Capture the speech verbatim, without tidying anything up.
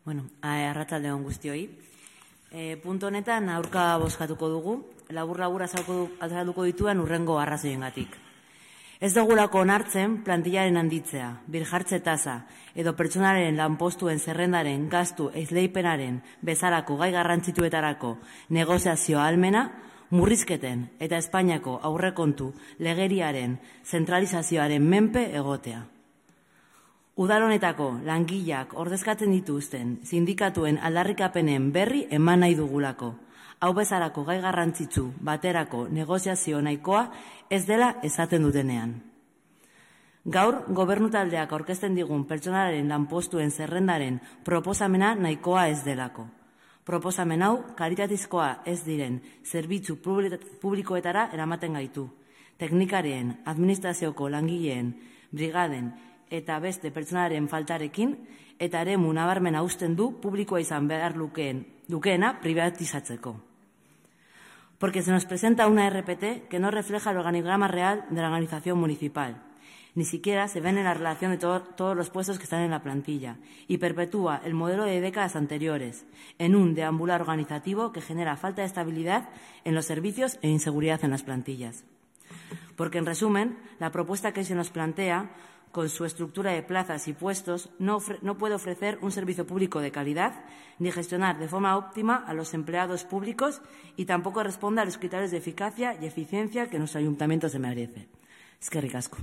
Bueno, arratsalde on guztioi. E, puntu honetan aurka bozkatuko dugu, labur-labur azalduko dituen urrengo arrazoiengatik. Ez dugulako onartzen plantillaren handitzea, birjartze tasa edo pertsonaren lanpostuen zerrendaren gastu esleipenaren bezalako gai garrantzituetarako negoziazio ahalmena, murrizketen eta Espainiako aurrekontu legeriaren zentralizazioaren menpe egotea. Udal honetako langileak ordezkatzen dituzten sindikatuen aldarrikapenen berri eman nahi dugulako. Hau bezalako gai garrantzitsu baterako negoziazio nahikoa ez dela esaten dutenean. Gaur, gobernu taldeak aurkezten digun pertsonaren lanpostuen zerrendaren proposamena nahikoa ez delako. Proposamen hau kalitatezkoa ez diren zerbitzu publikoetara eramaten gaitu. Teknikarien, administrazioko langileen, brigaden eta beste pertsonaren faltarekin eta eremu nabarmena uzten du publikoa izan behar lukeen, lukeena privatizatzeko. Porque se nos presenta una R P T que no refleja el organigrama real de la organización municipal. Ni siquiera se ven en la relación de todo, todos los puestos que están en la plantilla y perpetúa el modelo de décadas anteriores en un deambular organizativo que genera falta de estabilidad en los servicios e inseguridad en las plantillas. Porque, en resumen, la propuesta que se nos plantea, con su estructura de plazas y puestos, no, no puede ofrecer un servicio público de calidad ni gestionar de forma óptima a los empleados públicos y tampoco responde a los criterios de eficacia y eficiencia que nuestro ayuntamiento se merece. Eskerrik asko.